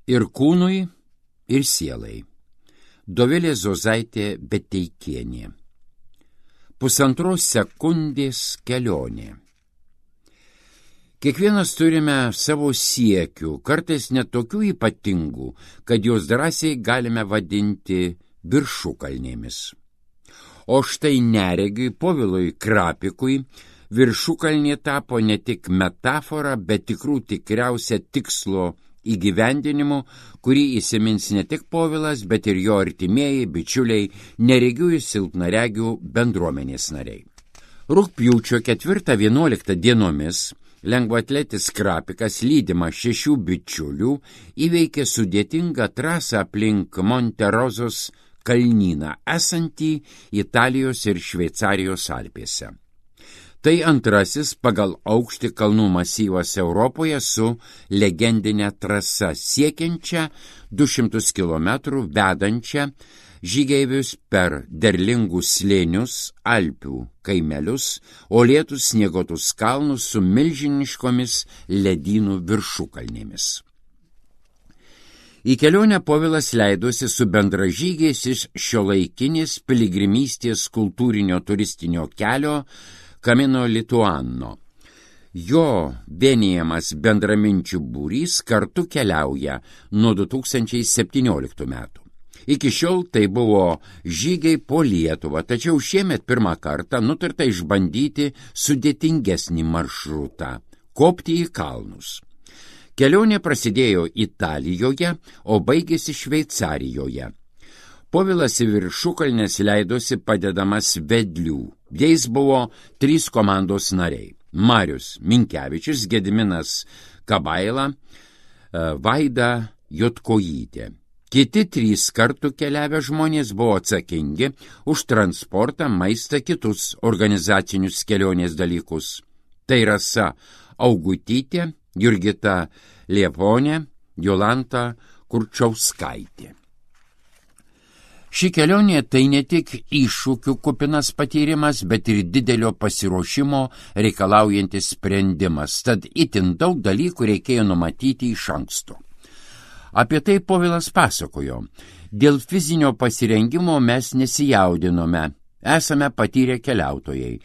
Ir kūnui, ir sielai. Dovilė Zozaitė Beteikienė. 1,5 sekundės kelionė. Kiekvienas turime savo siekių, kartais net tokių ypatingų, kad juos drąsiai galime vadinti viršukalnėmis. O štai neregiui Povilui Krapikui viršukalnė tapo ne tik metafora, bet tikriausia tikslo įgyvendinimu, kurį įsimins ne tik Povilas, bet ir jo artimieji, bičiuliai, neregių ir silpnaregių bendruomenės nariai. Rugpjūčio 4-11 dienomis lengvaatletis Krapikas, lydimas 6 bičiulių, įveikė sudėtingą trasą aplink Monterozos kalnyną, esantį Italijos ir Šveicarijos Alpėse. Tai antrasis pagal aukštį kalnų masyvas Europoje su legendinė trasa siekiančia 200 km vedančia žygeivius per derlingus slėnius, Alpių kaimelius, uolėtus snieguotus kalnus su milžiniškomis ledynų viršukalnėmis. Į kelionę Povilas leidosi su bendražygiais iš šiuolaikinės piligrimystės kultūrinio turistinio kelio Camino Lituano. Jo vienijamas bendraminčių būrys kartu keliauja nuo 2017 metų. Iki šiol tai buvo žygiai po Lietuvą, tačiau šiemet pirmą kartą nutarta išbandyti sudėtingesnį maršrutą – kopti į kalnus. Kelionė prasidėjo Italijoje, o baigėsi Šveicarijoje. Povilas į viršukalnes leidosi padedamas vedlių. Jais buvo 3 komandos nariai – Marius Minkevičius, Gediminas Kabaila, Vaida Jotkojytė. Kiti 3 kartu keliavę žmonės buvo atsakingi už transportą, maistą, kitus organizacinius kelionės dalykus. Tai Rasa Augutytė, Jurgita Lieponė, Jolanta Kurčauskaitė. Ši kelionė tai ne tik iššūkių kupinas patyrimas, bet ir didelio pasiruošimo reikalaujantis sprendimas, tad itin daug dalykų reikėjo numatyti iš anksto. Apie tai Povilas pasakojo. Dėl fizinio pasirengimo mes nesijaudinome, esame patyrę keliautojai,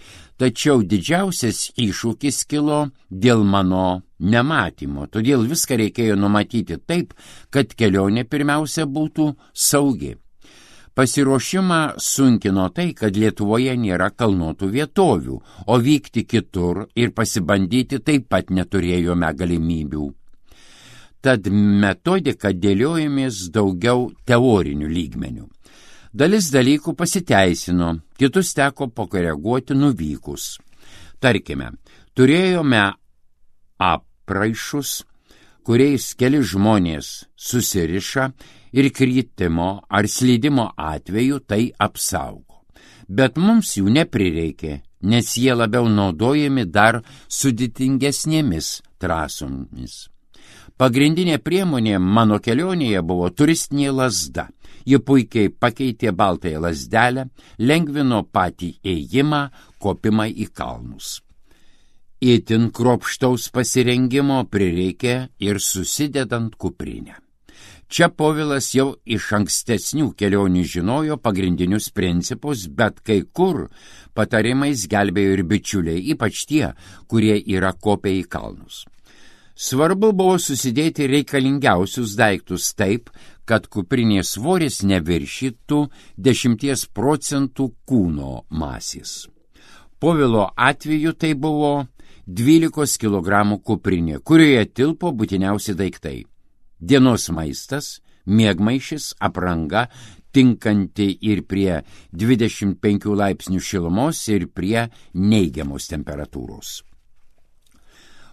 tačiau didžiausias iššūkis kilo dėl mano nematymo, todėl viską reikėjo numatyti taip, kad kelionė pirmiausia būtų saugi. Pasiruošimą sunkino tai, kad Lietuvoje nėra kalnuotų vietovių, o vykti kitur ir pasibandyti taip pat neturėjome galimybių. Tad metodiką dėliojomės daugiau teorinių lygmenių. Dalis dalykų pasiteisino, kitus teko pakoreguoti nuvykus. Tarkime, turėjome apraišus, kuriais keli žmonės susiriša ir kritimo ar slydimo atveju tai apsaugo. Bet mums jų neprireikė, nes jie labiau naudojami dar sudėtingesnėmis trasomis. Pagrindinė priemonė mano kelionėje buvo turistinė lazda. Ji puikiai pakeitė baltąją lazdelę, lengvino patį ėjimą, kopimą į kalnus. Itin kruopštaus pasirengimo prireikė ir susidedant kuprinę. Čia Povilas jau iš ankstesnių kelionių žinojo pagrindinius principus, bet kai kur patarimais gelbėjo ir bičiuliai, ypač tie, kurie yra kopę į kalnus. Svarbu buvo susidėti reikalingiausius daiktus taip, kad kuprinės svoris neviršytų 10% kūno masės. Povilo atveju tai buvo 12 kg kuprinė, kurioje tilpo būtiniausi daiktai. Dienos maistas, miegmaišis, apranga, tinkanti ir prie 25 laipsnių šilumos ir prie neigiamos temperatūros.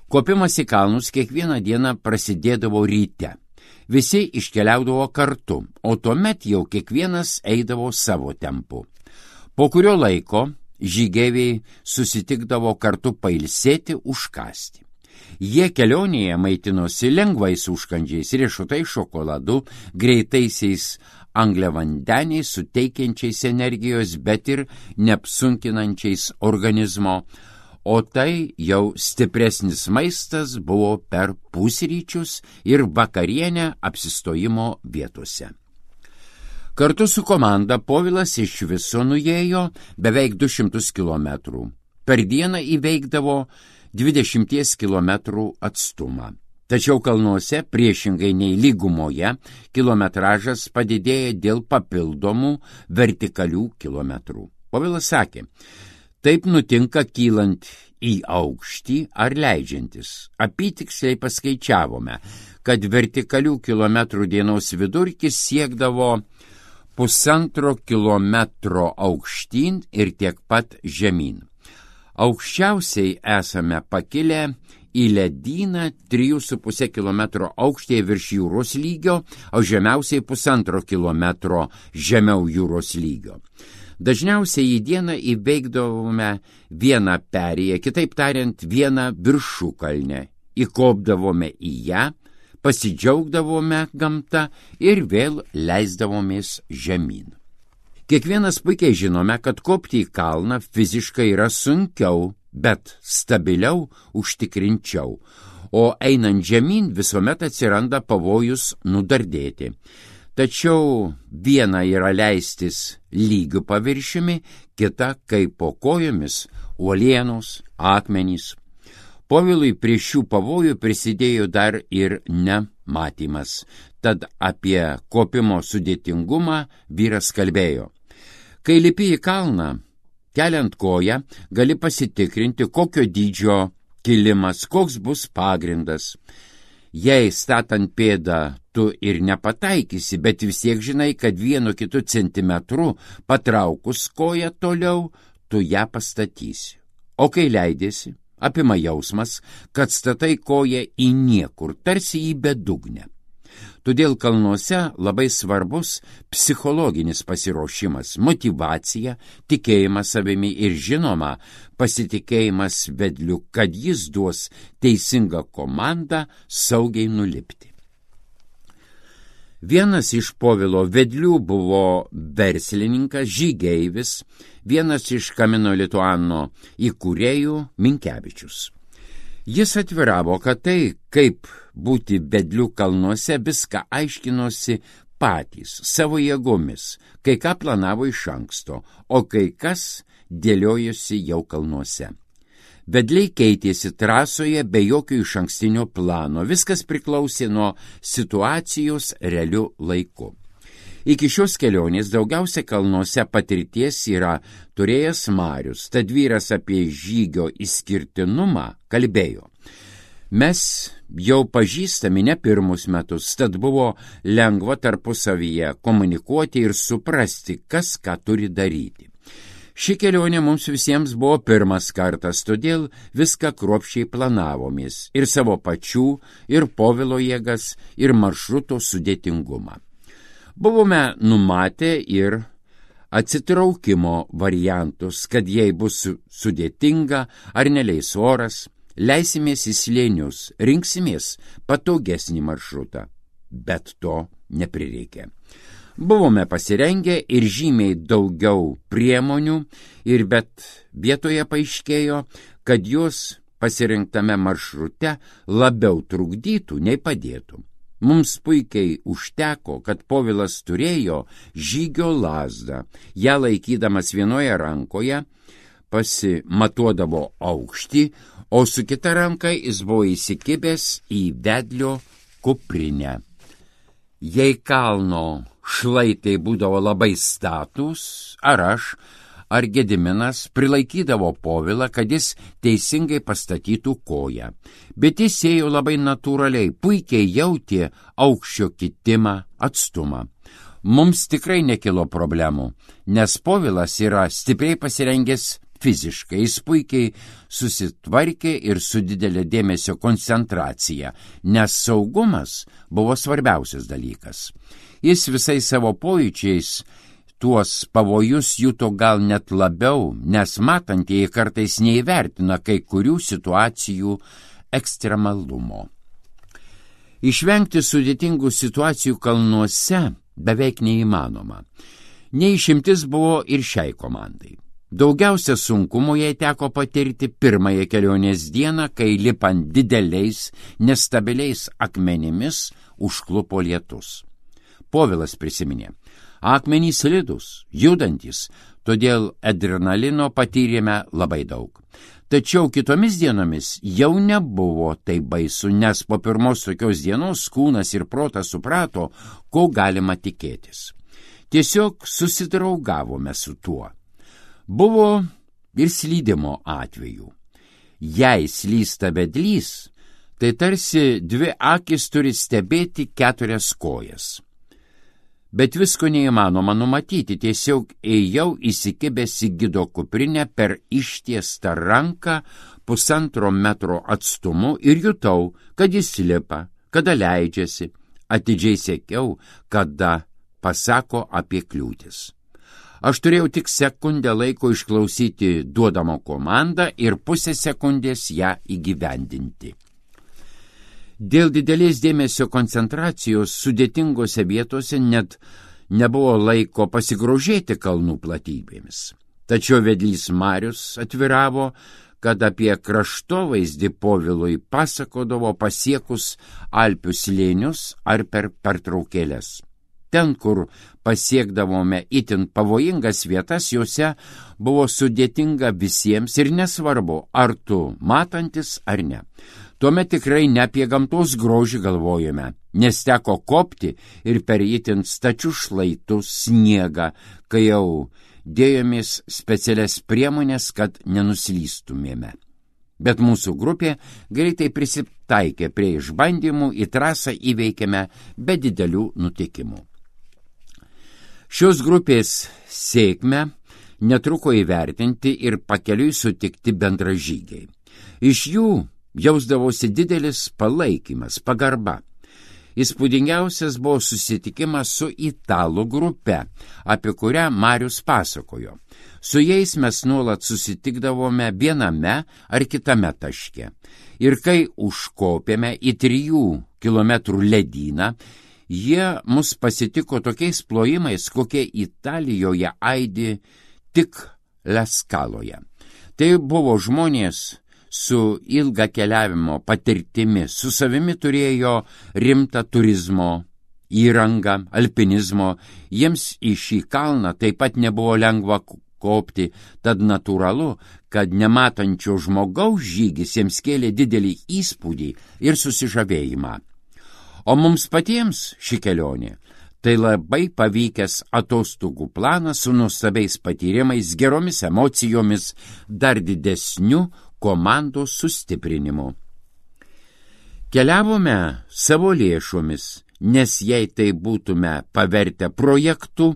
Kopimas į kalnus kiekvieną dieną prasidėdavo ryte. Visi iškeliaudavo kartu, o tuomet jau kiekvienas eidavo savo tempu. Po kurio laiko žygeiviai susitikdavo kartu pailsėti, užkąsti. Jie kelionėje maitinosi lengvais užkandžiais, riešutai šokoladu, greitaisiais angliavandeniais, suteikiančiais energijos, bet ir neapsunkinančiais organizmo, o tai jau stipresnis maistas buvo per pusryčius ir vakarienę apsistojimo vietose. Kartu su komanda Povilas iš viso nuėjo beveik 200 kilometrų. Per dieną įveikdavo 20 kilometrų atstumą. Tačiau kalnuose, priešingai nei lygumoje, kilometražas padidėja dėl papildomų vertikalių kilometrų. Povilas sakė, taip nutinka kylant į aukštį ar leidžiantis. Apytiksliai paskaičiavome, kad vertikalių kilometrų dienos vidurkis siekdavo 1,5 kilometro aukštyn ir tiek pat žemyn. Aukščiausiai esame pakilę į ledyną 3,5 kilometro aukštyje virš jūros lygio, o žemiausiai 1,5 kilometro žemiau jūros lygio. Dažniausiai į dieną įveikdavome vieną perėją, kitaip tariant, vieną viršukalnę, įkopdavome į ją, pasidžiaugdavome gamtą ir vėl leisdavomės žemyn. Kiekvienas puikiai žinome, kad kopti į kalną fiziškai yra sunkiau, bet stabiliau, užtikrinčiau, o einant žemyn visuomet atsiranda pavojus nudardėti. Tačiau viena yra leistis lygiu paviršiumi, kita kaip po kojomis uolienos, akmenys. Povilui prie šių pavojų prisidėjo dar ir nematymas, tad apie kopimo sudėtingumą vyras kalbėjo. Kai lipi į kalną, keliant koją, gali pasitikrinti, kokio dydžio kilimas, koks bus pagrindas. Jei statant pėdą tu ir nepataikysi, bet vis tiek žinai, kad 1-2 centimetrų patraukus koją toliau, tu ją pastatysi. O kai leidėsi, apima jausmas, kad statai koją į niekur, tarsi į bedugnę. Todėl kalnuose labai svarbus psichologinis pasiruošimas, motyvacija, tikėjimas savimi ir žinoma pasitikėjimas vedliu, kad jis duos teisingą komandą saugiai nulipti. Vienas iš Povilo vedlių buvo verslininkas, žygeivis, vienas iš Camino Lituano įkūrėjų Minkevičius. Jis atviravo, kad tai, kaip būti vedliu kalnuose, viską aiškinosi patys, savo jėgomis, kai ką planavo iš anksto, o kai kas dėliojosi jau kalnuose. Vedliai keitėsi trasoje be jokio išankstinio plano, viskas priklausė nuo situacijos realiu laiku. Iki šios kelionės daugiausia kalnuose patirties yra turėjęs Marius, tad vyras apie žygio išskirtinumą kalbėjo. Mes jau pažįstami ne pirmus metus, tad buvo lengva tarpusavyje komunikuoti ir suprasti, kas ką turi daryti. Ši kelionė mums visiems buvo pirmas kartas, todėl viską kruopščiai planavomės, ir savo pačių, ir Povilo jėgas, ir maršruto sudėtingumą. Buvome numatę ir atsitraukimo variantus, kad jei bus sudėtinga ar neleis oras, leisimės į slėnius, rinksimės patogesnį maršrutą, bet to neprireikė. Buvome pasirengę ir žymiai daugiau priemonių, bet vietoje paaiškėjo, kad jos pasirinktame maršrute labiau trukdytų nei padėtų. Mums puikiai užteko, kad Povilas turėjo žygio lazdą. Ją laikydamas vienoje rankoje pasimatuodavo aukštį, o su kita ranka jis buvo įsikibęs į vedlio kuprinę. Jei kalno šlaitai būdavo labai statūs, ar aš, ar Gediminas prilaikydavo Povilą, kad jis teisingai pastatytų koją. Bet jis ėjo labai natūraliai, puikiai jautė aukščio kitimą, atstumą. Mums tikrai nekilo problemų, nes Povilas yra stipriai pasirengęs fiziškai, jis puikiai susitvarkė ir su didelė dėmesio koncentracija, nes saugumas buvo svarbiausias dalykas. Jis visais savo pojūčiais tuos pavojus juto gal net labiau, nes matantieji kartais neįvertina kai kurių situacijų ekstremalumo. Išvengti sudėtingų situacijų kalnuose beveik neįmanoma. Neišimtis buvo ir šiai komandai. Daugiausia sunkumo jai teko patirti pirmąją kelionės dieną, kai lipant dideliais, nestabiliais akmenimis užklupo lietus. Povilas prisiminė, akmenys slidūs, judantis, todėl adrenalino patyrėme labai daug. Tačiau kitomis dienomis jau nebuvo taip baisu, nes po pirmos tokios dienos kūnas ir protas suprato, ko galima tikėtis. Tiesiog susidraugavome su tuo. Buvo ir slydimo atvejų. Jei slysta vedlys, tai tarsi dvi akis turi stebėti 4 kojas. Bet visko neįmanoma numatyti, tiesiog ėjau įsikibęs į gido kuprinę per ištiestą ranką 1,5 metro atstumu ir jutau, kad jis lipa, kada leidžiasi, atidžiai sekiau, kada pasako apie kliūtis. Aš turėjau tik sekundę laiko išklausyti duodamo komandą ir pusę sekundės ją įgyvendinti. Dėl didelės dėmesio koncentracijos sudėtingose vietose net nebuvo laiko pasigrožėti kalnų platybėmis. Tačiau vedlys Marius atviravo, kad apie kraštovaizdį Povilui pasakodavo pasiekus Alpių slėnius ar per pertraukėles. Ten, kur pasiekdavome itin pavojingas vietas, juose buvo sudėtinga visiems ir nesvarbu, ar tu matantis ar ne. Tuomet tikrai ne apie gamtos grožį galvojame, nes teko kopti ir per itin stačius šlaitus sniegą, kai jau dėjomės specialias priemonės, kad nenuslystumėme. Bet mūsų grupė greitai prisitaikė prie išbandymų, į trasą įveikėme be didelių nutikimų. Šios grupės sėkmę netruko įvertinti ir pakeliui sutikti bendražygiai. Iš jų jausdavosi didelis palaikymas, pagarba. Įspūdingiausias buvo susitikimas su italų grupe, apie kurią Marius pasakojo. Su jais mes nuolat susitikdavome viename ar kitame taške. Ir kai užkopėme į 3 kilometrų ledyną, jie mus pasitiko tokiais plojimais, kokie Italijoje aidi tik Leskaloje. Tai buvo žmonės su ilga keliavimo patirtimi, su savimi turėjo rimtą turizmo įrangą, alpinizmo, jiems į šį kalną taip pat nebuvo lengva kopti, tad natūralu, kad nematančio žmogaus žygis jiems kėlė didelį įspūdį ir susižavėjimą. O mums patiems ši kelionė tai labai pavykęs atostogų planas su nuostabiais patyrimais, geromis emocijomis, dar didesniu komandos sustiprinimu. Keliavome savo lėšomis, nes jei tai būtume pavertę projektu,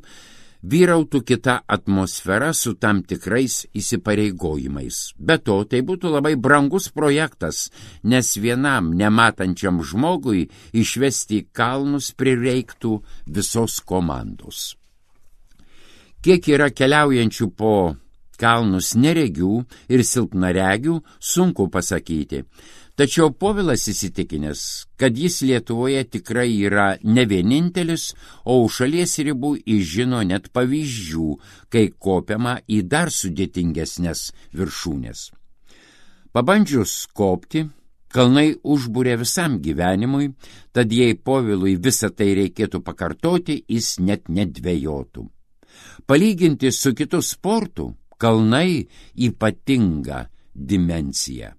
vyrautų kita atmosfera su tam tikrais įsipareigojimais. Be to, tai būtų labai brangus projektas, nes vienam nematančiam žmogui išvesti į kalnus prireiktų visos komandos. Kiek yra keliaujančių po kalnus neregių ir silpnaregių, sunku pasakyti. Tačiau Povilas įsitikinęs, kad jis Lietuvoje tikrai yra ne vienintelis, o už šalies ribų žino net pavyzdžių, kai kopiama į dar sudėtingesnės viršūnės. Pabandžius kopti, kalnai užbūrė visam gyvenimui, tad jei Povilui visą tai reikėtų pakartoti, jis net nedvejotų. Palyginti su kitu sportu, kalnai ypatinga dimensija.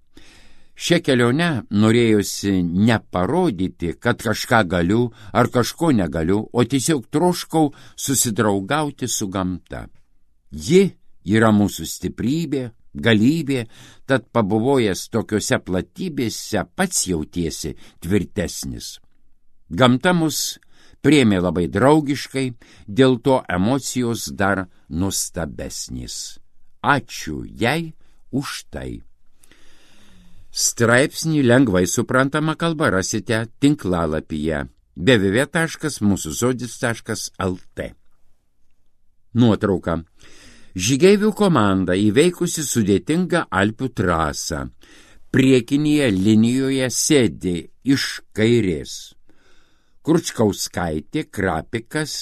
Šią kelionę norėjosi neparodyti, kad kažką galiu ar kažko negaliu, o tiesiog troškau susidraugauti su gamta. Ji yra mūsų stiprybė, galybė, tad pabuvojęs tokiuose platybėse pats jautiesi tvirtesnis. Gamta mus priėmė labai draugiškai, dėl to emocijos dar nuostabesnės. Ačiū jai už tai. Straipsnį lengvai suprantama kalba rasite tinklalapyje www.musuzodis.lt. Nuotrauka. Žygeivių komanda įveikusi sudėtingą Alpių trasą. Priekinėje linijoje sėdi iš kairės Kručkauskaitė, Krapikas,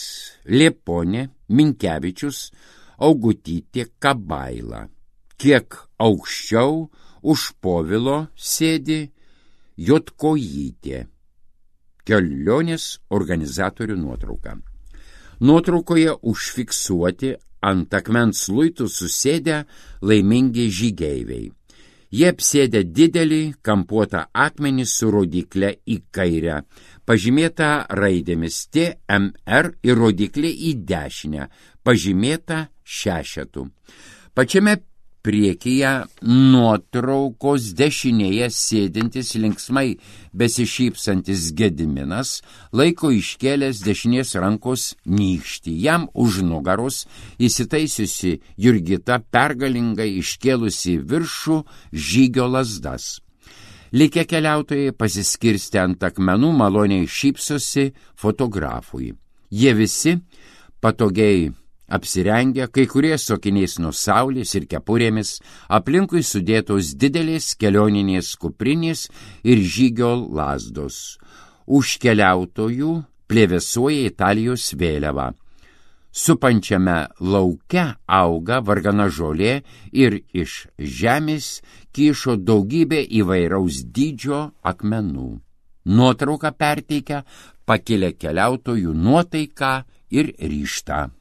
Lieponė, Minkevičius, Augutytė Kabaila. Kiek aukščiau už Povilo sėdi Jotkojytė. Kelionės organizatorių nuotrauka. Nuotraukoje užfiksuoti ant akmens luitų susėdę laimingi žygeiviai. Jie apsėdė didelį kampuotą akmenį su rodykle į kairę, pažymėta raidėmis TMR ir rodiklė į dešinę, pažymėta šešetu. Pačiame priekyje nuotraukos dešinėje sėdintis linksmai besišypsantis Gediminas laiko iškėlęs dešinės rankos nykštį. Jam už nugaros įsitaisiusi Jurgita pergalingai iškėlusi viršų žygio lazdas. Likę keliautojai pasiskirstę ant akmenų maloniai šypsosi fotografui. Jie visi patogiai apsirengę, kai kurie su akiniais nuo saulės ir kepurėmis, aplinkui sudėtos didelės kelioninės kuprinės ir žygio lazdos. Už keliautojų plevėsuoja Italijos vėliava. Supančiame lauke auga vargana žolė ir iš žemės kyšo daugybė įvairaus dydžio akmenų. Nuotrauka perteikia pakilę keliautojų nuotaiką ir ryžtą.